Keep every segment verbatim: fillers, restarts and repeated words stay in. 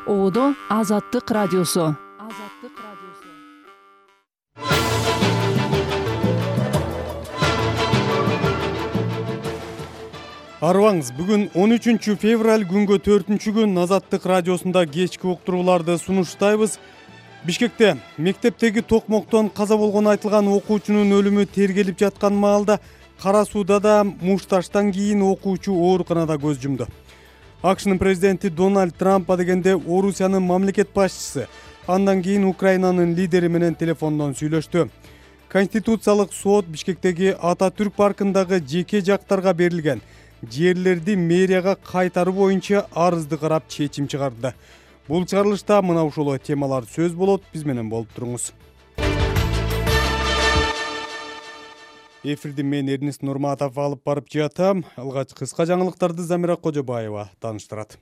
Оодо Азаттык радиосу. Азаттык радиосу. Арыбаңыз, бүгүн он үчүнчү февраль күнгө төртүнчү күн Азаттык радиосунда кечки уктурууларды сунуштайбыз. Бишкекте мектептеги токмоктон каза болгону айтылган окуучунун өлүмү тергелип жаткан маалда Кара Сууда да мушташтан кийин окуучу ооруканада көз жумду. АКШнын президенти Дональд Трамп дегенде Орусиянын мамлекет башчысы, андан кийин Украинанын лидери менен телефондон сүйлөштү. Конституциялык сот Бишкектеги Ататүрк паркындагы жеке жактарга берилген жерлерди мэрияга кайтаруу боюнча арызды карап чечим чыгарды. Бул чыгарылышта мына ушул темалар сөз болот, биз менен болуп туруңуз. Эфирди мен Эрнис Нурматов алып барып жатам. Алгач кыска жаңылыктарды Замира Кожобаева тааныштырат.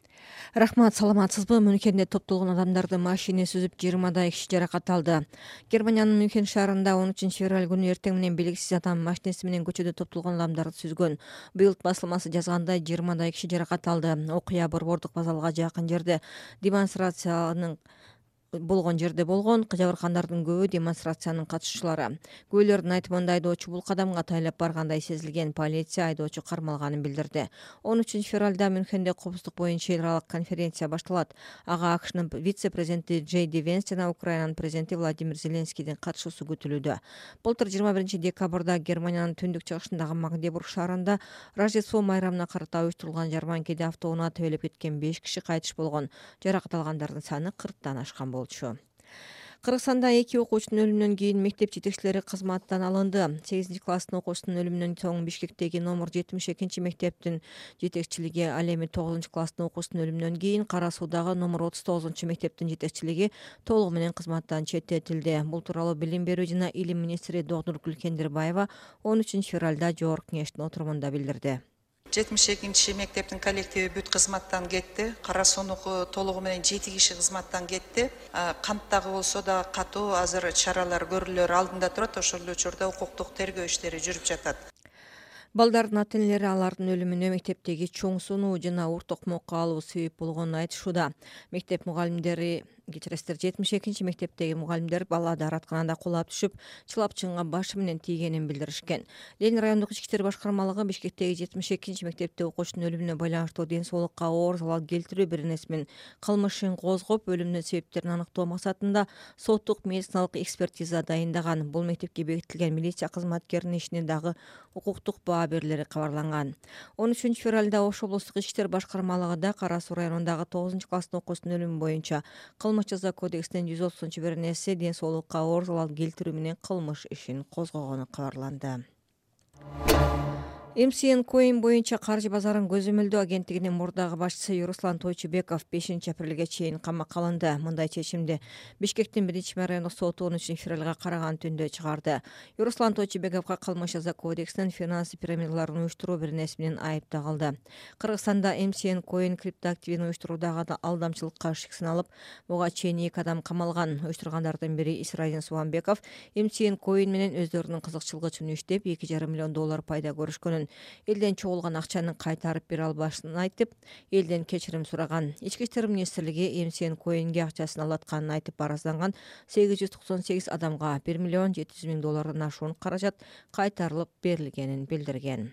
Рахмат, саламатсызбы? Мюнхенде топтолгон адамдарды машина сүзүп жыйырмадай киши жаракат алды. Германиянын Мюнхен шаарында он үчүнчү февраль күнү эртең менен белгисиз адам машинеси менен көчөдө топтолгон адамдарды сүзгөн. Быйыл басылмасы жазгандай жыйырмадай киши жаракат алды. Окуя борбордук вокзалга жакын жерде демонстрациянын болгон жерде болгон. Жабыркандардын көбү демонстрациянын катышуучулары. Күбөлөрдүн айтымында айдоочу бул кадамга тайлап баргандай сезилген. Полиция айдоочу кармалганын билдирди. он үчүнчү февралда Мюнхенде коопсуздук боюнча эл аралык конференция башталат. Ага АКШнын вице-президенти Джей Ди Венс жана Украинанын президенти Владимир Зеленскийдин катышуусу күтүлүүдө. Былтыр жыйырма биринчи декабрда Германиянын түндүк чыгышындагы Магдебург шаарында Рождество майрамына карата уюштурулган жарманкеде автоунаа тебелеп кеткен беш киши кайтыш болгон. Жаракат алгандардын саны кырктан ашкан болчу. Кыргызстанда эки окуучунун өлүмүнөн кийин мектеп жетекчилери кызматтан алынды. сегизинчи класстын окуучусунун өлүмүнөн соң Бишкектеги номер жетимиш экинчи мектептин жетекчилиги, ал эми тогузунчу класстын окуучусунун өлүмүнөн кийин Кара Суудагы номер отуз тогузунчу мектептин жетекчилиги толугу менен кызматтан четтетилди. Бул тууралуу Билим берүү жана илим министри Докторгүл Кендирбаева он үчүнчү февралда жогорку кеңештин отурумунда билдирди. жетимиш экинчи мектептин коллективи бүт кызматтан кетти. Кара Суунуку толугу менен жети киши кызматтан кетти. Канттагы болсо да катуу азыр чаралар көрүлөр алдында турат. Ошол учурда укуктук тергөө иштери жүрүп жатат. Балдардын ата-энелери алардын өлүмүнө мектептеги чоң сунуу жана ур токмокко алуу себеп болгонун айтышууда. Мектеп мугалимдери кечиресиздер жетимиш экинчи мектептеги мугалимдер бала дааратканада кулап түшүп, чылапчынга башы менен тийгенин билдиришкен. Ленин райондук ички иштер башкармалыгы Бишкектеги жетимиш экинчи мектепте окуучунун өлүмүнө байланыштуу ден соолукка оор залал келтирүү беренесинин кылмыш ишин козгоп, өлүмүнүн себептерин аныктоо максатында соттук медициналык экспертиза дайындаган. Бул мектепке бекитилген милиция кызматкеринин ишине дагы укуктук баа берилери кабарланган. он үчүнчү февралда Ош облустук ички иштер башкармалыгында Кара Суу районундагы тогузунчу класстын окуучусунун өлүмү боюнча кылмыш жаза кодексинин жүз отузунчу беренеси ден соолукка оор залал келтирүү менен кылмыш ишин козгогону кабарланды. эм си эн Coin боюнча каржы базарын көзөмөлдөө агенттигинин мурдагы башчысы Юруслан Тойчубеков бешинчи апрелге чейин камакка алынды. Мындай чечимди Бишкектин биринчи райондук соту он үчүнчү февралга караган түндө чыгарды. Юруслан Тойчубековго кылмыш жаза кодексинин финансы пирамидаларын уюштуруу беренеси менен айып тагылды. Кыргызстанда эм си эн Coin криптоактивин уюштуруудагы алдамчылыкка шик саналып, буга чейин эки адам камалган. Уюштургандардын бири Исраилин Субанбеков эм си эн Coin менен өздөрүнүн кызыкчылыгы үчүн иштеп, эки жарым миллион доллар пайда көрүшкөнүн, элден чогулган акчаны кайтарып бере албашын айтып, элден кечирим сураган. Ички иштер министрлиги эм си эн Coin'ге акчасын алатканын айтып аразданган сегиз жүз токсон сегиз адамга бир миллион жети жүз миң доллардан ашуун каражат кайтарылып берилгенин билдирген.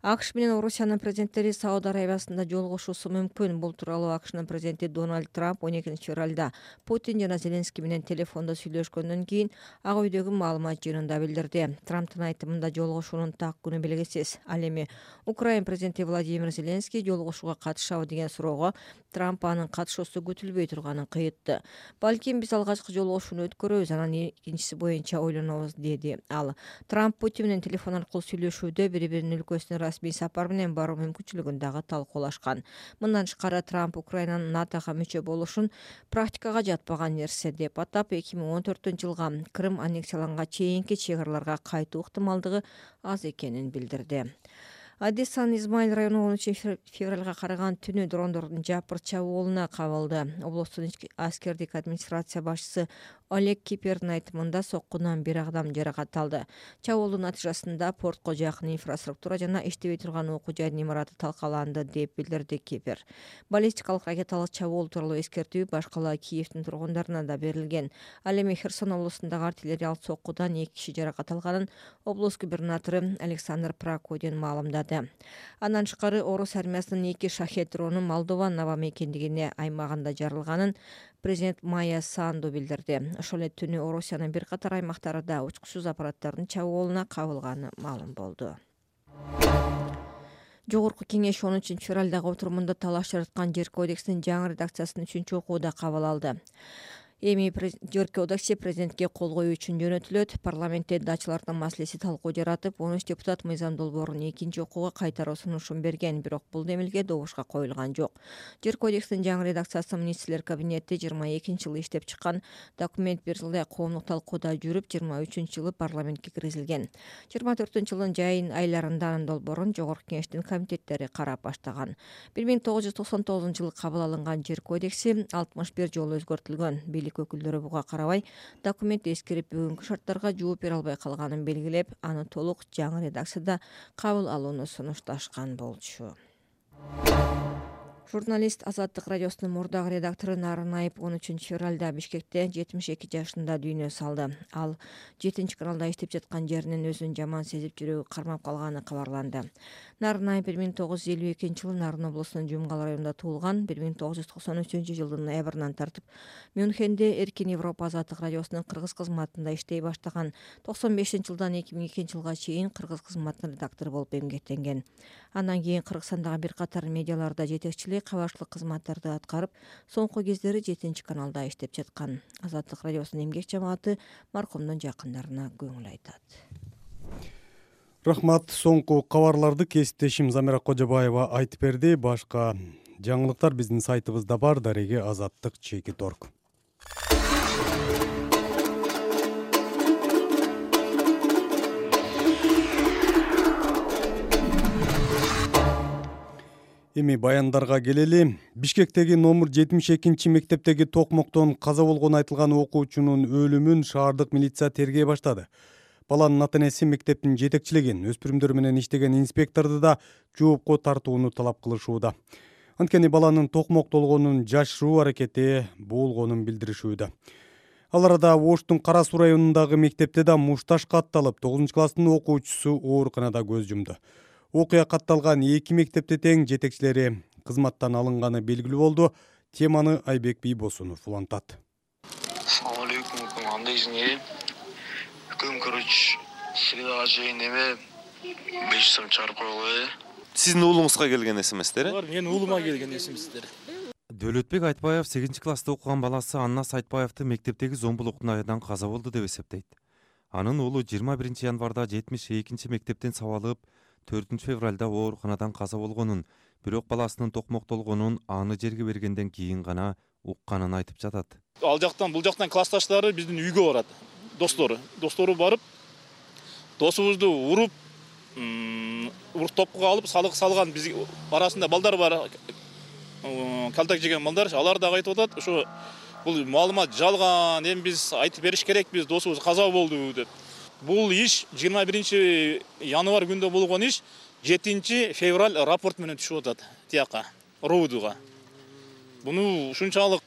АКШ менен Орусиянын президенттери Сауд Арабиясында жолугушуусу мүмкүн. Бул тууралуу АКШнын президенти Дональд Трамп он экинчи февралда Путин жана Зеленский менен телефондо сүйлөшкөндөн кийин Ак үйдөгү маалымат жыйынында билдирди. Трамптын айтымында жолугушуунун так күнү белгисиз. Ал эми Украина президенти Владимир Зеленский жолугушууга катышабы деген суроого Трамп анын катышуусу күтүлбөй турганын кыйытты. Балким биз алгачкы жолугушууну өткөрөбүз, анан экинчиси боюнча ойлонобуз, деди ал. Трамп Путин менен телефон аркылуу сүйлөшүүдө бири-биринин өлкөсүнө расмий сапар менен баруу мүмкүнчүлүгүн дагы талкуулашкан. Мындан тышкары Трамп Украинанын НАТОго мүчө болушун практикага жатпаган нерсе деп атап, эки миң он төртүнчү жылга Крым аннексияланганга чейинки чек араларга кайтуу ыктымалдыгы аз экенин билдирди. Одессанын Измаил району он үчүнчү февралга караган түнү дрондордун жапыр чабуулуна кабылды. Облустун аскердик администрация башчысы Олег Кипердин айтымында соккунан бир адам жаракат алды. Чабуулдун натыйжасында портко жакын инфраструктура жана иштебей турган окуу жайдын имараты талкаланды деп билдирди Кипер. Баллистикалык ракеталык чабуул тууралуу эскертүү башкала Киевдин тургундарына да берилген. Ал эми Херсон облусундагы артиллериялык соккудан эки киши жаракат алганын облус губернатору Александр Прокудин маалымдады. Андан тышкары орус армиясынын эки шахет дрону Молдова наба мекендигине аймагында жарылганын президент Майя Санду билдирди. Ошол эле түнү Орусиянын бир катар аймактарында учкучсуз аппараттардын чабуулуна кабылганы маалым болду. Жогорку кеңеш он үчүнчү февралдагы отурумунда талаш жараткан Жер кодексинин жаңы редакциясын үчүнчү окууда кабыл алды. Эми Жер кодекси президентке кол коюу үчүн жөнөтүлөт. Парламентте дачылардын маселеси талкуу жаратып, он үч депутат мыйзам долбоорун экинчи окууга кайтаруу сунушун берген, бирок бул демилге добушка коюлган жок. Жер кодексинин жаңы редакциясы министрлер кабинети жыйырма экинчи жылы иштеп чыккан. Документ бир жылдай коомдук талкууда жүрүп, жыйырма үчүнчү жылы парламентке киргизилген. жыйырма төртүнчү жылдын жайын айларында анын долбоорун жогорку кеңештин комитеттери карап баштаган. бир миң тогуз жүз токсон тогузунчу жылы кабыл алынган Жер кодекси алтымыш бир жолу өзгөртүлгөн. Өкүлдөрү буга карабай, документ эскирип бүгүнкү шарттарга жооп бере албай калганын белгилеп, аны толук жаңы редакцияда кабыл алууну сунушташкан болчу. Журналист Азаттык радиосунун мурдагы редактору Нарын Айып он үчүнчү февралда Бишкекте жетимиш эки жашында дүйнө салды. Ал жетинчи каналда иштеп жаткан жеринен өзүн жаман сезип жүрөгү кармап калганы кабарланды. Нарын Айып бир миң тогуз жүз элүү экинчи жылы Нарын облусунун Жумгал районунда туулган. бир миң тогуз жүз токсон үчүнчү жылдын ноябрынан тартып Мюнхенде Эркин Европа Азаттык радиосунун кыргыз кызматында иштей баштаган. токсон бешинчи жылдан эки миң экинчи жылга чейин кыргыз кызматынын редактору болуп эмгектенген. Андан кийин Кыргызстандагы бир катар медиаларда жетекчилик, кабарчылык кызматтарды аткарып, соңку кездери жетинчи каналда иштеп жаткан. Азаттык радиосунун эмгек жамааты маркумдун жакындарына көңүл айтат. Рахмат. Соңку кабарларды кесиптешим Замира Кожобаева айтып берди. Башка жаңылыктар биздин сайтыбызда бар. Дареге Азаттык чекит точка орг. Эми баяндарга келели. Бишкектеги номер жетимиш экинчи мектептеги токмоктон каза болгону айтылган окуучунун өлүмүн шаардык милиция тергей баштады. Баланын ата-энеси мектептин жетекчилеген, өспүрүмдөр менен иштеген инспекторду да жоопко тартууну талап кылышууда. Анткени баланын токмоктолгонун жашыруу аракети болгонун билдиришүүдө. Ал арада Оштун Кара Суу районундагы мектепте да мушташ катталып, тогузунчу класстын окуучусу ооруканада көз жумду. Окуя катталган эки мектепте тең жетекчилери кызматтан алынганы белгилүү болду. Теманы Айбек Бийбосунов улантат. Assalomu alaykum, кандайсыңер? Күн көрүч, средага чейин эме беш сом чыгарып койгула. Сиздин уулуңузга келген эсеместер? Булар менин уулума келген эсеместер. Дөлөтбек Айтбаев сегизинчи класста окуган баласы Аннас Айтбаевди мектептеги зомбулуктун айынан каза болду деп эсептейт. Анын уулу жыйырма биринчи январда жетимиш экинчи мектептен сабалып, төртүнчү февралда ооруканадан каза болгонун, бирок баласынын токмоктолгонун аны жерге бергенден кийин гана укканын айтып жатат. Ал жактан, бул жактан классташтары биздин үйгө барат. Достору, достору барып, досубузду уруп, уруп топкуга алып, салык салган биз арасында балдар бар. Калтак жеген балдар, алар да айтып атат, ошо бул маалымат жалган, эми биз айтып бериш керекпиз, досубуз каза болду деп. Бул иш жыйырма биринчи январь күндө болгон иш жетинчи февраль рапорт менен түшүп атат тияка, роудуга. Буну ушунчалык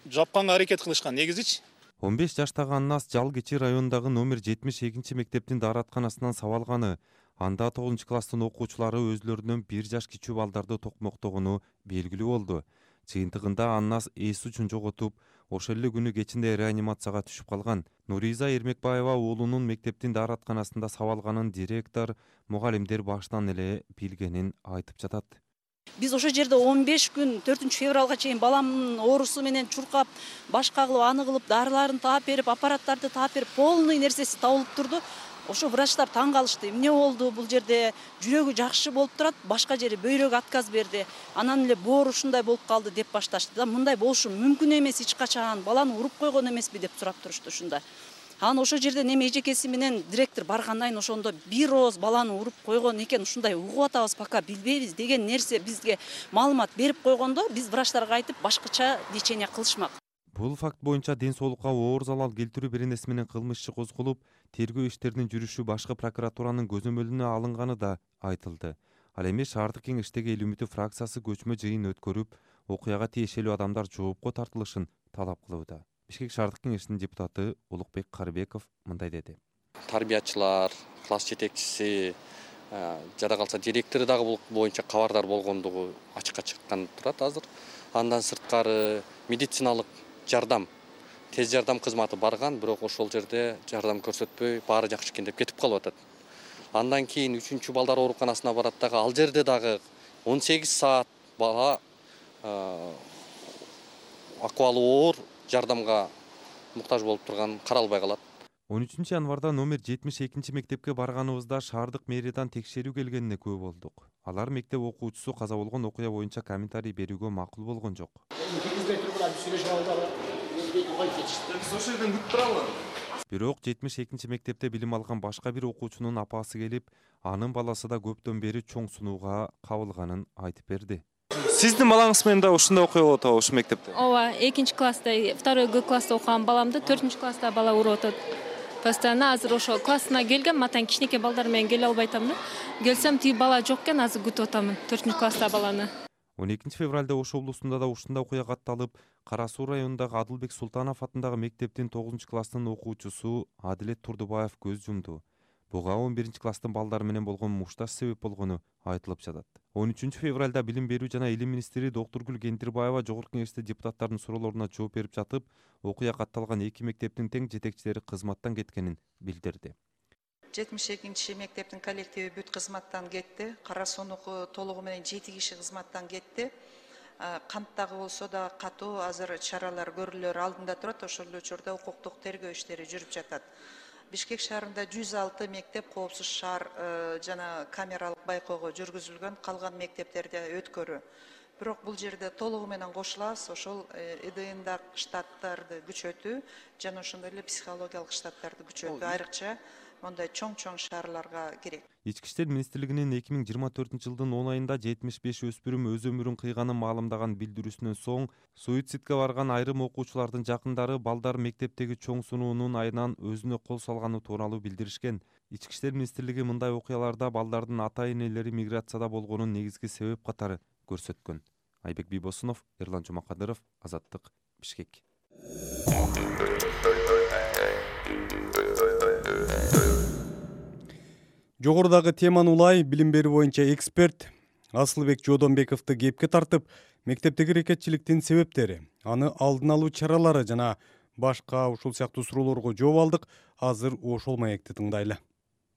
жапканга аракет кылышкан негизичи. он беш жаштагы Аннас Жалгичи районундагы номер жетимиш экинчи мектептин дааратканасынан сабалганы, анда тогузунчу класстын окуучулары өзлөрүнөн бир жаш кичүү балдарды токмоктогону белгилүү болду. Чыйынтыгында Аннас эс учун жоготуп, ошол эле күнү кечинде реанимацияга түшүп калган. Нуриза Эрмекбаева уулунун мектептин дааратканасында сабалганын директор, мугалимдер баштан эле билгенин айтып жатат. Биз ошол жерде он беш күн төртүнчү февралга чейин баламдын оорусу менен чуркап, баш кагылып, аны кылып, дарыларын таап берип, аппараттарды таап берип, полный нерсеси табылып турду. Ошо врачтар таң калышты. Эмне болду? Бул жерде жүрөгү жакшы болуп турат, башка жери бөйрөгү отказ берди. Анан эле боору ушундай болуп калды деп башташты. Да мындай болушу мүмкүн эмес эч качан. Баланы уруп койгон эмеспи деп сурап турушту ушунда. Анан ошол жерде неме эжекеси менен директор баргандан кийин ошондо бир ооз баланы уруп койгон экен, ушундай угуп атабыз, пока билбейбиз деген нерсе бизге маалымат берип койгондо, биз врачтарга айтып башкача лечение кылышмак. Бул факт боюнча ден соолукка оор залал келтирүү беренеси менен кылмыш иши козголуп, тергөө иштеринин жүрүшү башкы прокуратуранын көзөмөлүнө алынганы да айтылды. Ал эми шаардык кеңештеги Эл үмүтү фракциясы көчмө жыйын өткөрүп, окуяга тиешелүү адамдар жоопко тартылышын талап кылууда. Бишкек шаардык кеңешинин депутаты Улукбек Карыбеков мындай деди. Тарбиячылар, класс жетекчиси, жада калса директору дагы бул боюнча кабардар болгондугу ачыкка чыккан турат азыр. Андан сырткары медициналык жардам, тез жардам кызматы барган, бирок ошол жерде жардам көрсөтпөй, баары жакшы экен деп кетип калып атат. Андан кийин үчүнчү балдар ооруканасына барат дагы, ал жерде дагы он сегиз саат бала акыбалы оор жардамга муктаж болуп турган каралбай калат. он үчүнчү январда номер жетимиш экинчи мектепке барганыбызда шаардык мэриядан текшерүү келгенине күбө болдук. Алар мектеп окуучусу каза болгон окуя боюнча комментарий берүүгө макул болгон жок. Бирок жетимиш экинчи мектепте билим алган башка бир окуучунун апасы келип, анын баласы да көптөн бери чоң сунууга кабылганын айтып берди. Сиздин балаңыз менен да ушундай окуя болуп атабы ушул мектепте? Ооба, экинчи класста, второй Г класста окуган баламды төртүнчү класста бала уруп атат. Постоянно азыр ошо классына келгем, атан кичинекей балдар менен келе албай атам да. Келсем тиги бала жок экен, азыр күтүп атамын төртүнчү класста баланы. он экинчи февралда Ош облусунда да ушундай окуя катталып, Кара Суу районундагы Адылбек Султанов атындагы мектептин тогузунчу класстын окуучусу Адилет Турдубаев көз жумду. Буга он биринчи класстын балдары менен болгон мушташ себеп болгону айтылып жатат. он үчүнчү февралда Билим берүү жана илим министри Доктургүл Кендирбаева Жогорку Кеңеште депутаттардын суроолоруна жооп берип жатып, окуя катталган эки мектептин тең жетекчилери кызматтан кеткенин билдирди. жетимиш экинчи мектептин коллективи бүт кызматтан кетти. Кара Суунуку толугу менен жети киши кызматтан кетти. Канттагы болсо да катуу азыр чаралар көрүлөр алдында турат. Ошол учурда укуктук тергөө иштери жүрүп жатат. Бишкек шаарында жүз алты мектеп коопсуз шаар жана камералык байкоого жүргүзүлгөн, калган мектептерде өткөрүү. Бирок бул жерде толугу менен кошулабыз, ошол ИДНда штаттарды күчөтүү жана ошондой эле психологиялык штаттарды күчөтүү айрыкча мондай чоң-чоң шаарларга керек. Ички иштер министрлигинин эки миң жыйырма төртүнчү жылдын он айында жетимиш беш өспүрүм өз өмүрүн кыйганын маалымдаган билдирүүсүнөн соң суицидке барган айрым окуучулардын жакындары балдар мектептеги чоң сунуунун айынан өзүнө кол салганы тууралуу билдиришкен. Ички иштер министрлиги мындай окуяларда балдардын ата-энелери миграцияда болгонун негизги себеп катары көрсөткөн. Айбек Бийбосунов, Эрлан Жумакадыров, Азаттык, Бишкек. Жогорудагы теманы улай билим берүү боюнча эксперт Асылбек Жодонбековду кепке тартып, мектептеги рекетчиликтин себептери, аны алдын алуу чаралары жана башка ушул сыяктуу суроолорго жооп алдык. Азыр ошол маекти тыңдайлы.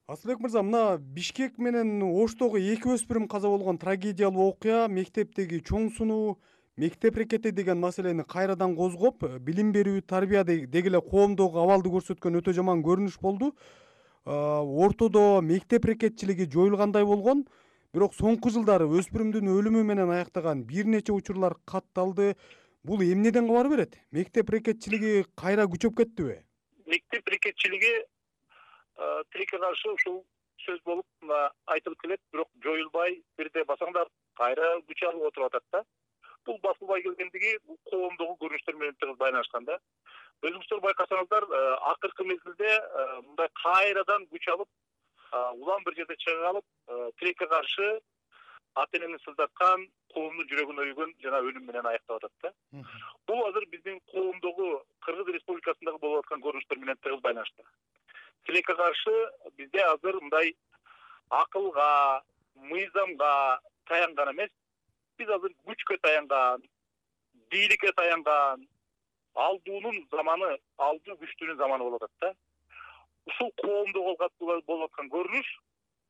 Асылбек мырза, мына Бишкек менен Оштогу эки өспүрүм каза болгон трагедиялуу окуя, мектептеги чоң сунуу, мектеп рекети деген маселени кайрадан козгоп, билим берүү, тарбия деги эле коомдогу абалды көрсөткөн өтө жаман көрүнүш болду. Ортодо мектеп рекетчилиги жоюлгандай болгон, бирок соңку жылдары өспүрүмдүн өлүмү менен аяктаган бир нече учурлар катталды. Бул эмнеден кабар берет? Мектеп рекетчилиги кайра күчөп кеттиби? Мектеп рекетчилиги тилекке каршы ушул сөз болуп айтылып келет, бирок жоюлбай, бирде басаңдар кайра күч алып отуруп атат да. Бул басылбай келгендиги коомдогу көрүнүштөр менен тыгыз байланышкан да. Өзүңүздөр байкасаңыздар, акыркы мезгилде мындай кайрадан күч алып, улам бир жерде чыга калып, тилекке каршы ата-энени сыздаткан, коомдун жүрөгүн өйгөн жана өлүм менен аяктап атат да. Бул азыр биздин коомдогу Кыргыз Республикасындагы болуп аткан көрүнүштөр менен тыгыз байланыштуу. Тилекке каршы бизде азыр мындай акылга, мыйзамга таянган эмес, биз азыр күчкө таянган, бийликке таянган, алдуунун заманы, алдуу күчтүүнүн заманы болуп атат да. Ушул коомдо болуп аткан көрүнүш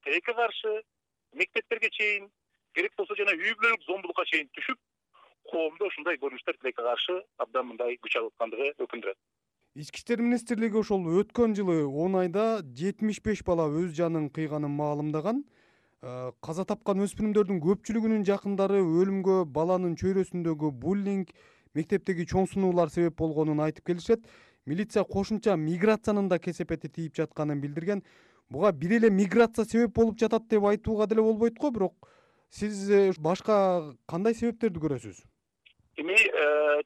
тилекке каршы мектептерге чейин, керек болсо жана үй бүлөлүк зомбулукка чейин түшүп, коомдо ушундай көрүнүштөр тилекке каршы абдан мындай күч алып аткандыгы өкүндүрөт. Ички иштер министрлиги ошол өткөн жылы он айда жетимиш беш бала өз жанын кыйганын маалымдаган. Каза тапкан өспүрүмдөрдүн көпчүлүгүнүн жакындары өлүмгө баланын чөйрөсүндөгү буллинг, мектептеги чоң сунуулар себеп болгонун айтып келишет. Милиция кошумча миграциянын да кесепети тийип жатканын билдирген. Буга бир эле миграция себеп болуп жатат деп айтууга деле болбойт го, бирок сиз башка кандай себептерди көрөсүз? Эми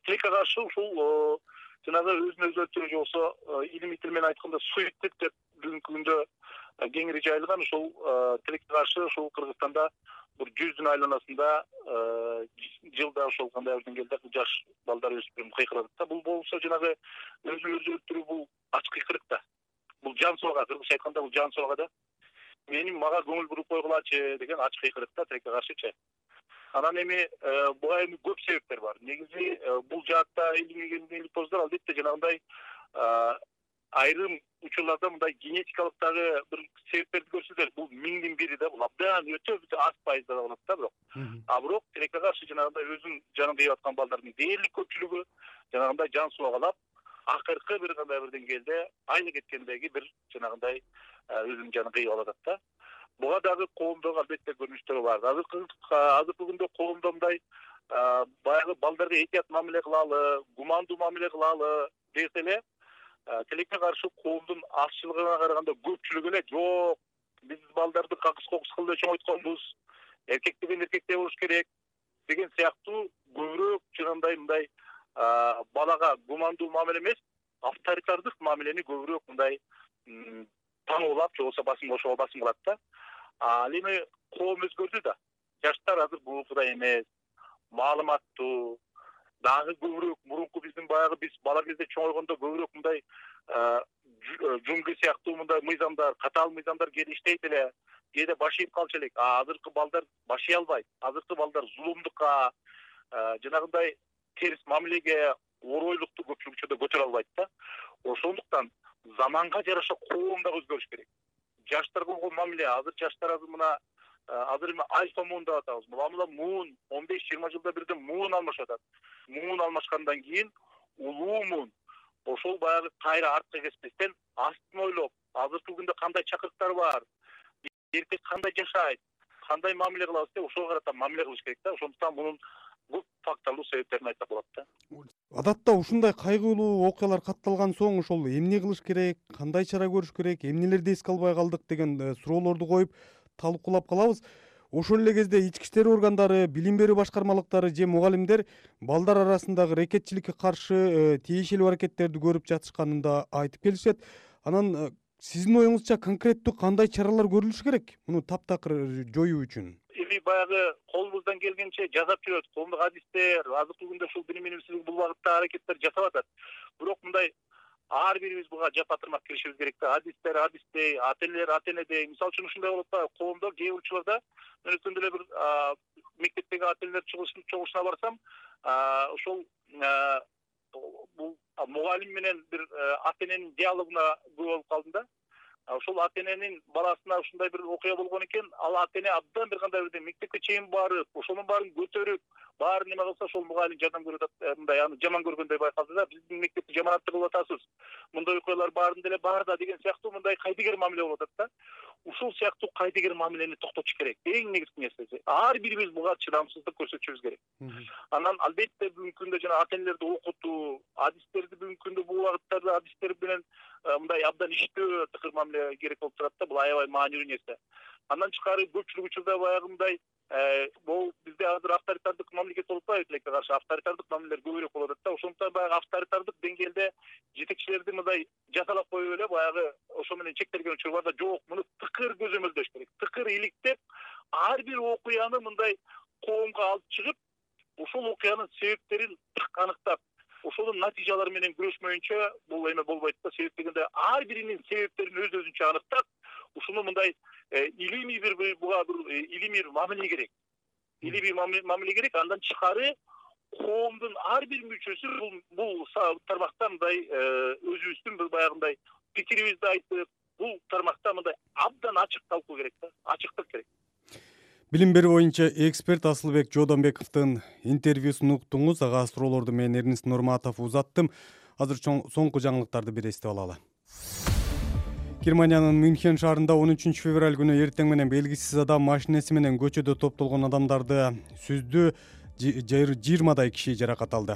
тилекке каршы ушул жанагы өзүн өзү өлтүрүү же болбосо илимий тил менен айтканда суицид деп бүгүнкү күндө кеңири жайылган ушул тилекке каршы ушул Кыргызстанда бир жүздүн айланасында жылда ошол кандай бир деңгээлде жаш балдар өспүрүм кыйкырат да. Бул болсо жанагы өзүн өзү өлтүрүү бул ачык кыйкырык да. Бул жан сорго, кыргызча айтканда бул жан сорго да. Менин мага көңүл буруп койгулачы деген ачык кыйкырык да тилекке каршычы. Анан эми буга эми көп себептер бар. Негизи бул жаатта илимий поздор албетте жанагындай айрым учурларда мындай генетикалык дагы бир себептерди көрсөтөт. Бул миңдин бири да, бул абдан өтө аз пайызда болот да бирок. А бирок тилекке каршы жанагындай өзүнүн жанын кыйып аткан балдардын дээрлик көпчүлүгү жанагындай жан суагалап, акыркы бир кандай бир деңгээлде айны кеткендеги бир жанагындай өзүнүн жанын кыйып алат да. Буга дагы коомдогу албетте көрүнүштөр бар. Азыркы азыркы күндө коомдо мындай баягы балдарга этият мамиле кылалы, гумандуу мамиле кылалы десе эле, тилекке каршы коомдун азчылыгына караганда көпчүлүгү эле жок, биз балдарды какыс кокус кылып чоңойтконбуз, эркек деген эркектей болуш керек деген сыяктуу көбүрөөк жанагындай мындай балага гумандуу мамиле эмес, авторитардык мамилени көбүрөөк мындай таңоолап же болбосо басым кошууга басым кылат да. Ал эми коом өзгөрдү да. Жаштар азыр бугукудай эмес, маалыматтуу, дагы көбүрөөк мурунку биздин баягы биз бала кезде чоңойгондо көбүрөөк мындай жуңгы сыяктуу мындай мыйзамдар, катаал мыйзамдар кээде иштейт эле, кээде баш ийип калчу элек. А азыркы балдар баш ий албайт. Азыркы балдар зулумдукка, жанагындай терс мамилеге, оройлукту көпчүлүк учурда көтөрө албайт да. Ошондуктан заманга жараша коом дагы өзгөрүш керек. Жаштар болгон мамиле, азыр жаштар азыр мына азыр эми альфа муун деп атабыз. Муламыла муун он беш жыйырма жылда бирден муун алмашып атат. Муун алмашкандан кийин улуу муун. Ошол баягы кайра артка кеспестен астын ойлоп, азыркы күндө кандай чакырыктар бар, эркек кандай жашайт, кандай мамиле кылабыз деп ошого карата мамиле кылыш керек да. Ошондуктан мунун көп факторлуу себептерин айтсак болот да. Адатта ушундай кайгылуу окуялар катталган соң ошол эмне кылыш керек, кандай чара көрүш керек, эмнелерди эске албай калдык деген суроолорду коюп талкуулап калабыз. Ошол эле кезде ички иштер органдары, билим берүү башкармалыктары же мугалимдер балдар арасындагы рекетчиликке каршы тиешелүү аракеттерди көрүп жатышканын да айтып келишет. Анан сиздин оюңузча конкреттүү кандай чаралар көрүлүш керек муну таптакыр жоюу үчүн? Эми баягы колубуздан келгенче жасап жүрөт. Коомдук адистер азыркы күндө ушул билим министрлиги бул багытта аракеттер жасап атат. Бирок мындай ар бирибиз буга жапа-тырмак киришибиз керек да. Адистер адистей, ата-энелер ата-энедей. Мисалы үчүн ушундай болот да, коомдо кээ бир учурларда мен өткөндө эле бир мектептеги ата-энелер чогулушуна барсам, ошол бул мугалим менен бир ата-эненин диалогуна күбө болуп калдым да. Ошол ата-эненин баласына ушундай бир окуя болгон экен, ал ата-эне абдан бир кандай бир мектепке чейин барып, ошонун баарын көтөрүп, баарын неме кылса, ошол мугалим жардам көрүп атат, мындай аны жаман көргөндөй байкалды да. Биздин мектепти жаманаттуу кылып атасыз. Мындай окуялар баарында эле бар да деген сыяктуу мындай кайдыгер мамиле болуп атат да. Ушул сыяктуу кайдыгер мамилени токтотуш керек. Эң негизги нерсеси. Ар бирибиз буга чыдамсыздык көрсөтүшүбүз керек. Анан албетте бүгүнкү күндө жана ата-энелерди окутуу, адистерди бүгүнкү күндө бул багыттарда адистер менен мындай абдан иштөө тыкыр мамиле керек болуп турат да. Бул аябай маанилүү нерсе. Андан тышкары көпчүлүк учурда баягы мындай бул бизде азыр авторитардык мамлекет болуп атпайбы, тилекке каршы авторитардык мамилелер көбүрөөк болуп атат да. Ошондуктан баягы авторитардык деңгээлде жетекчилерди мындай жасалап коюп эле баягы ошо менен чектелген учур бар да. Жок, муну тыкыр көзөмөлдөш керек. Тыкыр иликтеп, ар бир окуяны мындай коомго алып чыгып, ошол окуянын себептерин аныктап, ошонун натыйжалары менен күрөшмөйүнчө бул эме болбойт да. Себеп дегенде ар биринин себептерин өз өзүнчө аныктап, ушуну мындай илимий бир буга бир илимий мамиле керек. Илимий мамиле керек. Андан тышкары коомдун ар бир мүчөсү бул бул тармакта мындай өзүбүздүн бир баягындай пикирибизди айтып, бул тармакта мындай абдан ачык талкуу керек да. Ачыктык керек. Билим берүү боюнча эксперт Асылбек Жодонбековдун интервьюсун уктуңуз. Ага суроолорду мен Эрнис Нурматов узаттым. Азыр соңку жаңылыктарды бир эстеп алалы. Германиянын Мюнхен шаарында он үчүнчү февраль күнү эртең менен белгисиз адам машинеси менен көчөдө топтолгон адамдарды сүздү. жыйырмадай киши жаракат алды.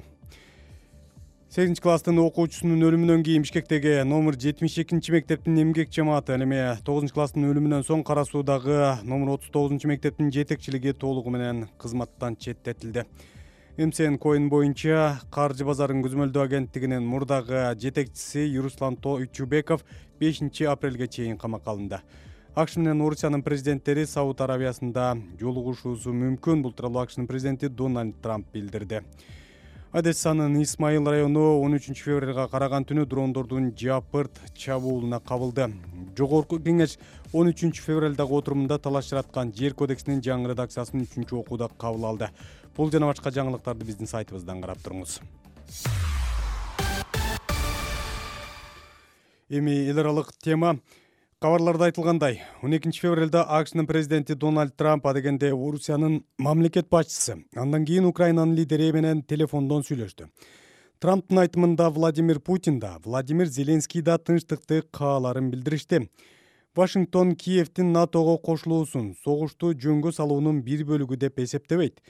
сегизинчи класстын окуучусунун өлүмүнөн кийин Бишкектеги номер жетимиш экинчи мектептин эмгек жамааты, эми тогузунчу класстын өлүмүнөн соң Кара Суудагы номер отуз тогузунчу мектептин жетекчилиги толугу менен кызматтан четтетилди. эм си эн Coin боюнча каржы базарын көзөмөлдөө агенттигинин мурдагы жетекчиси Руслан Тойчубеков бешинчи апрелге чейин камакка алынды. АКШ менен Орусиянын президенттери Сауд Арабиясында жолугушуусу мүмкүн. Бул тууралуу АКШнын президенти Дональд Трамп билдирди. Одессанын Исмаил району он үчүнчү февралга караган түнү дрондордун жапырт чабуулуна кабылды. Жогорку кеңеш он үчүнчү февралдагы отурумунда талаш жараткан жер кодексинин жаңы редакциясын үчүнчү окууда кабыл алды. Бул жана башка жаңылыктарды биздин сайтыбыздан карап туруңуз. Эми эл аралык тема. Кабарларда айтылгандай, он экинчи февралда АКШнын президенти Дональд Трамп адегенде Орусиянын мамлекет башчысы, андан кийин Украинанын лидери менен телефондон сүйлөштү. Трамптын айтымында Владимир Путин да, Владимир Зеленский да тынчтыкты кааларын билдиришти. Вашингтон Киевдин НАТОго кошулуусун согушту жөнгө салуунун бир бөлүгү деп эсептебейт.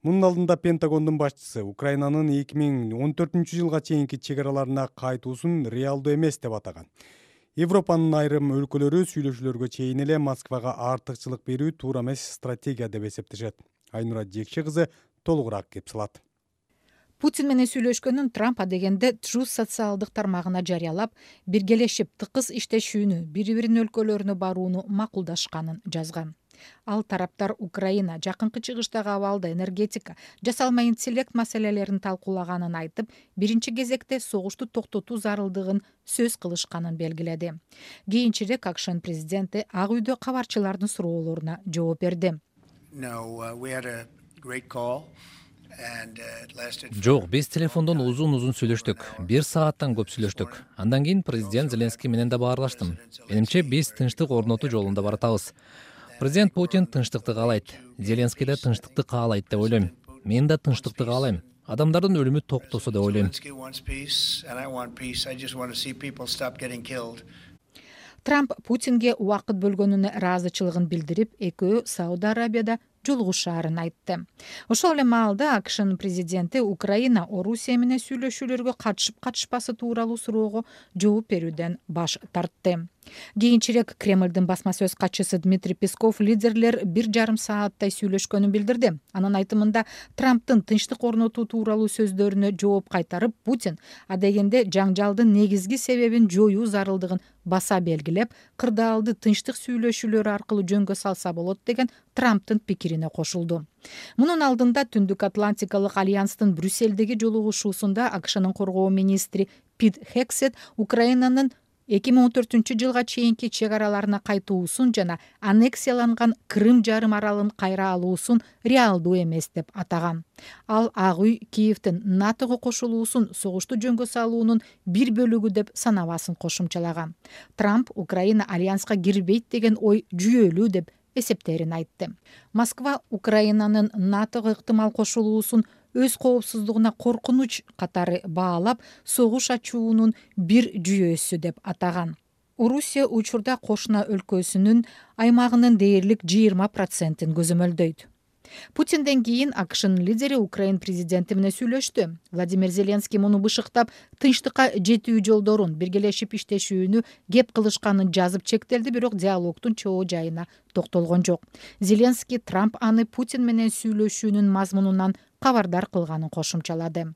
Мунун алдында Пентагондун башчысы Украинанын эки миң он төртүнчү жылга чейинки чек араларына кайтуусун реалдуу эмес деп атаган. Европанын айрым өлкөлөрү сүйлөшүүлөргө чейин эле Москвага артыкчылык берүү туура эмес стратегия деп эсептешет. Айнура Жекши кызы толугураак кеп салат. Путин менен сүйлөшкөнүн Трамп адегенде Truth социалдык тармагына жарыялап, биргелешип тыкыз иштешүүнү, бири-биринин өлкөлөрүнө барууну макулдашканын жазган. Ал тараптар Украина, жакынкы чыгыштагы абалда энергетика, жасалма интеллект маселелерин талкуулаганын айтып, биринчи кезекте согушту токтотуу зарылдыгын сөз кылышканын белгиледи. Кийинчерээк АКШнын президенти Ак үйдө кабарчылардын суроолоруна жооп берди. Жок, биз телефондон узун-узун сүйлөштүк. Бир сааттан көп сүйлөштүк. Андан кийин президент Зеленский менен да баарлаштым. Менимче биз тынчтык орнотуу жолунда баратабыз. Президент Путин тынчтыкты каалайт. Зеленский да тынчтыкты каалайт деп ойлойм. Мен да тынчтыкты каалайм. Адамдардын өлүмү токтосо деп ойлойм. Трамп Путинге убакыт бөлгөнүнө ыраазычылыгын билдирип, экөө Сауд Арабияда жолугушаарын айтты. Ошол эле маалда АКШнын президенти Украина Орусия менен сүйлөшүүлөргө катышып катышпасы тууралуу суроого жооп берүүдөн баш тартты. Кийинчерээк Кремлдин басма сөз катчысы Дмитрий Песков лидерлер бир жарым сааттай сүйлөшкөнүн билдирди. Анын айтымында Трамптын тынчтык орнотуу тууралуу сөздөрүнө жооп кайтарып, Путин адегенде жаңжалдын негизги себебин жоюу зарылдыгын баса белгилеп, кырдаалды тынчтык сүйлөшүүлөр аркылуу жөнгө салса болот деген Трамптын пикирине кошулду. Мунун алдында Түндүк Атлантикалык альянстын Брюссельдеги жолугушуусунда АКШнын коргоо министри Пит Хексет Украинанын эки миң он төртүнчү жылга чейинки чек араларына кайтуусун жана аннексияланган Крым жарым аралын кайра алуусун реалдуу эмес деп атаган. Ал Ак үй Киевдин НАТОго кошулуусун согушту жөнгө салуунун бир бөлүгү деп санабасын кошумчалаган. Трамп Украина альянска кирбейт деген ой жүйөлүү деп эсептерин айтты. Москва Украинанын НАТОго ыктымал кошулуусун өз коопсуздугуна коркунуч катары баалап, согуш ачуунун бир жүйөсү деп атаган. Орусия учурда кошуна өлкөсүнүн аймагынын дээрлик жыйырма процентин көзөмөлдөйт. Путинден кийин АКШнын лидери Украин президенти менен сүйлөштү. Владимир Зеленский муну бышыктап, тынчтыкка жетүү жолдорун, биргелешип иштешүүнү кеп кылышканын жазып чектелди, бирок диалогдун чоо жайына токтолгон жок. Зеленский Трамп аны Путин менен сүйлөшүүнүн мазмунунан кабардар кылганын кошумчалады.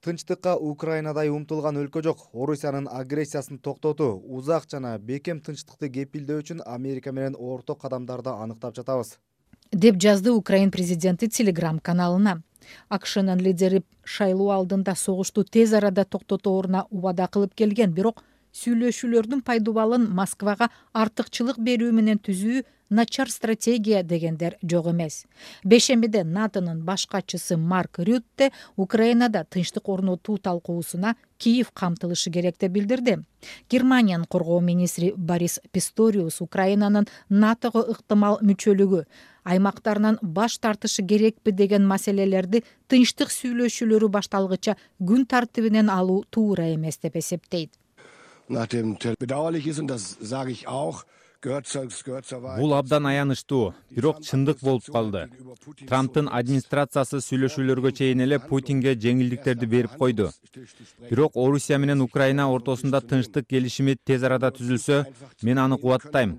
Тынчтыкка Украинадай умтулган өлкө жок. Орусиянын агрессиясын токтотуу, узак жана бекем тынчтыкты кепилдөө үчүн Америка менен орток кадамдарды аныктап жатабыз, деп жазды Украин президенти Telegram каналына. АКШнын лидери шайлоо алдында согушту тез арада токтотооруна убада кылып келген, бирок сүйлөшүүлөрдүн пайдубалын Москвага артыкчылык берүү менен түзүү начар стратегия дегендер жок эмес. Бешембиде НАТОнун баш катчысы Марк Рютте Украинада тынчтык орнотуу талкуусуна Киев камтылышы керек деп билдирди. Германиянын коргоо министри Борис Писториус Украинанын НАТОго ыктымал мүчөлүгү, аймактарынан баш тартышы керекпи деген маселелерди тынчтык сүйлөшүүлөрү башталгыча күн тартибинен алуу туура эмес деп эсептейт. Nachdem bedauerlich ist, und das sage ich auch, Бул абдан аянычтуу, бирок чындык болуп калды. Трамптын администрациясы сүйлөшүүлөргө чейин эле Путинге жеңилдиктерди берип койду. Бирок Орусия менен Украина ортосунда тынчтык келишими тез арада түзүлсө, мен аны кубаттайм.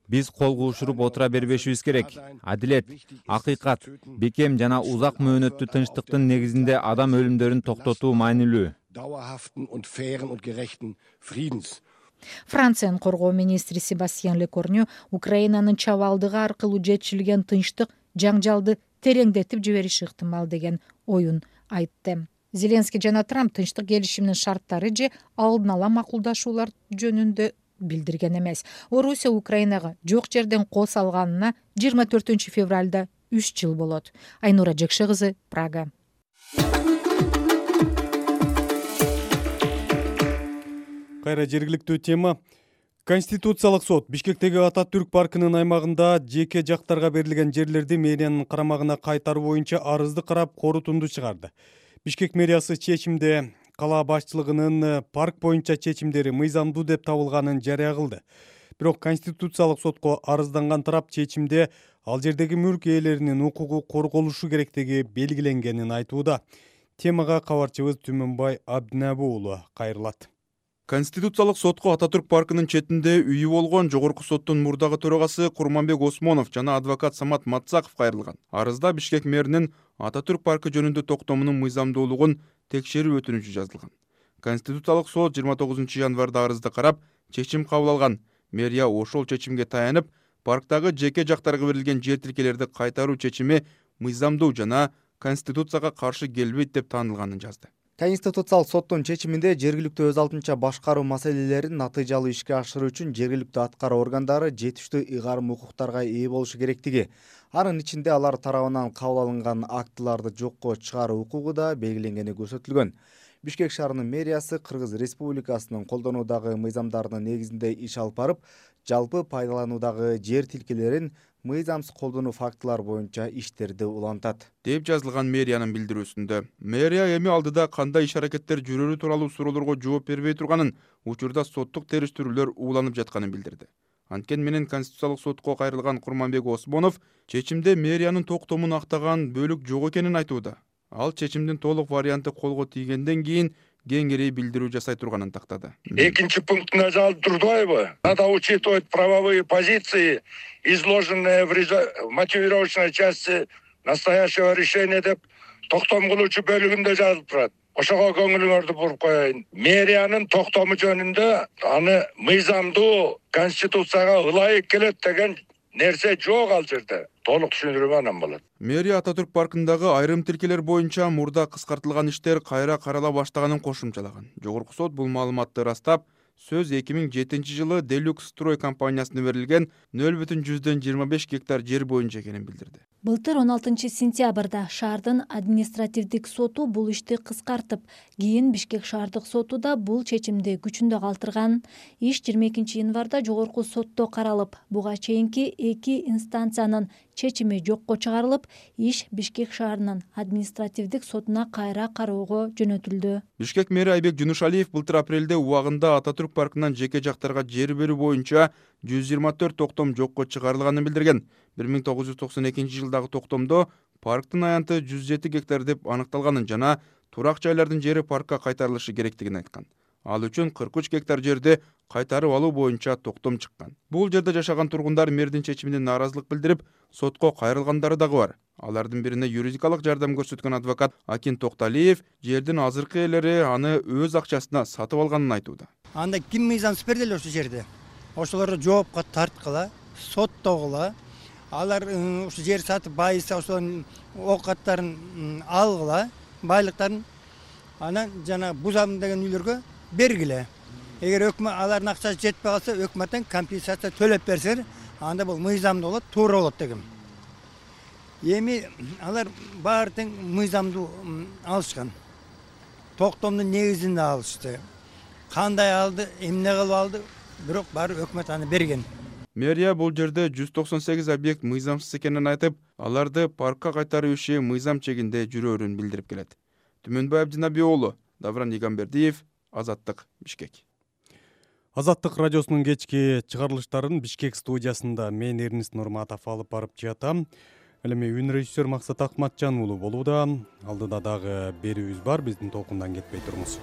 Биз кол куушуруп отура бербешибиз керек. Адилет, акыйкат, бекем жана узак мөөнөттүү тынчтыктын негизинде адам өлүмдөрүн токтотуу маанилүү. Франциянын коргоо министри Себастьян Лекорню Украинанын чабалдыгы аркылуу жетишилген тынчтык жаңжалды тереңдетип жибериши ыктымал деген оюн айтты. Зеленский жана Трамп тынчтык келишиминин шарттары же алдын ала макулдашуулар жөнүндө билдирген эмес. Орусия Украинага жок жерден кол салганына жыйырма төртүнчү февралда үч жыл болот. Айнура Жекше кызы, Прага. Кайра жергиликтүү тема. Конституциялык сот Бишкектеги Ататүрк паркынын аймагында жеке жактарга берилген жерлерди мэриянын карамагына кайтаруу боюнча арызды карап корутунду чыгарды. Бишкек мэриясы чечимде кала башчылыгынын парк боюнча чечимдери мыйзамдуу деп табылганын жарыя кылды. Бирок Конституциялык сотко арызданган тарап чечимде ал жердеги мүлк ээлеринин укугу корголушу керектиги белгиленгенин айтууда. Темага кабарчыбыз Түмөнбай Абдинабы уулу кайрылат. Конституциялык сотко Ататүрк паркынын четинде үйү болгон жогорку соттун мурдагы төрагасы Курманбек Осмонов жана адвокат Самат Матсаков кайрылган. Арызда Бишкек мэринин Ататүрк паркы жөнүндө токтомунун мыйзамдуулугун текшерүү өтүнүчү жазылган. Конституциялык сот жыйырма тогузунчу январда арызды карап, чечим кабыл алган. Мэрия ошол чечимге таянып, парктагы жеке жактарга берилген жер тилкелерди кайтаруу чечими мыйзамдуу жана Конституцияга каршы келбейт деп таанылганын жазды. Конституциялык соттун чечиминде жергиликтүү өз алдынча башкаруу маселелерин натыйжалуу ишке ашыруу үчүн жергиликтүү аткаруу органдары жетиштүү ыйгарым укуктарга ээ болушу керектиги, анын ичинде алар тарабынан кабыл алынган актыларды жокко чыгаруу укугу да белгиленгени көрсөтүлгөн. Бишкек шаарынын мэриясы Кыргыз Республикасынын колдонуудагы мыйзамдарынын негизинде иш алып барып, жалпы пайдалануудагы жер тилкелерин мыйзамсыз колдонуу фактылары боюнча иштерди улантат, деп жазылган мэриянын билдирүүсүндө. Мэрия эми алдыда кандай иш-аракеттер жүрөрү тууралуу суроолорго жооп бербей турганын, учурда соттук териштирүүлөр ууланып жатканын билдирди. Анткени менен Конституциялык сотко кайрылган Курманбек Осмонов чечимде мэриянын токтомун актаган бөлүк жок экенин айтууда. Ал чечимдин толук варианты колго тийгенден кийин кеңири билдирүү жасай турганын тактады. Экинчи пунктуна жазылып турдубайбы? Надо учитывать правовые позиции, изложенные в мотивировочной части настоящего решения деп токтом кылуучу бөлүгүндө жазылып турат. Ошого көңүлүңөрдү буруп коеюн. Мэриянын токтому жөнүндө аны мыйзамдуу Конституцияга ылайык келет деген нерсе жок ал жерде. Толук түшүндүрүү анан болот. Мэрия Ататүрк паркындагы айрым тилкелер боюнча мурда кыскартылган иштер кайра карала баштаганын кошумчалаган. Жогорку сот бул маалыматты ырастап, сөз эки миң жетинчи жылы Делюкс строй компаниясына берилген нөл бүтүн жүздөн жыйырма беш гектар жер боюнча экенин билдирди. Былтыр он алтынчы сентябрда шаардын административдик соту бул ишти кыскартып, кийин Бишкек шаардык соту да бул чечимди күчүндө калтырган. Иш жыйырма экинчи январда жогорку сотто каралып, буга чейинки эки инстанциянын чечими жокко чыгарылып, иш Бишкек шаарынын административдик сотуна кайра кароого жөнөтүлдү. Бишкек мэри Айбек Жунушалиев былтыр апрелде убагында Ататүрк паркынан жеке жактарга жер берүү боюнча жүз жыйырма төрт токтом жокко чыгарылганын билдирген. бир миң тогуз жүз токсон экинчи жылдагы токтомдо парктын аянты жүз жети гектар деп аныкталганын жана турак жайлардын жери паркка кайтарылышы керектигин айткан. Ал үчүн кырк үч гектар жерди кайтарып алуу боюнча токтом чыккан. Бул жерде жашаган тургундар мэрдин чечимине нааразылык билдирип, сотко кайрылгандары дагы бар. Алардын бирине юридикалык жардам көрсөткөн адвокат Акин Токталиев жердин азыркы ээлери аны өз акчасына сатып алганын айтууда. Анда ким мыйзамсыз берди эле ошол жерде? Ошолорду жоопко тарткыла, соттогула. Алар ушу жер сатып байыса ошонун оокаттарын алгыла, байлыктарын анан жана бузам деген үйлөргө бергиле. Эгер өкмөт алардын акчасы жетпей калса, өкмөттөн компенсация төлөп берсеңер, анда бул мыйзамдуу болот, туура болот дегем. Эми алар баары тең мыйзамдуу алышкан. Токтомдун негизинде алышты. Кандай алды, эмне кылып алды, бирок баары өкмөт аны берген. Мэрия бул жерде жүз токсон сегиз объект мыйзамсыз экенин айтып, аларды паркка кайтаруу иши мыйзам чегинде жүрөөрүн билдирип келет. Түмөнбай Абдинабы уулу, Давран Игамбердиев, Азаттык, Бишкек. Азаттык радиосунун кечки чыгарылыштарын Бишкек студиясында мен Эрнис Нурматов алып барып жатам. Ал эми үн режиссер Максат Акматжан уулу болууда. Алдыда дагы берүүбүз бар, биздин толкундан кетпей туруңуз.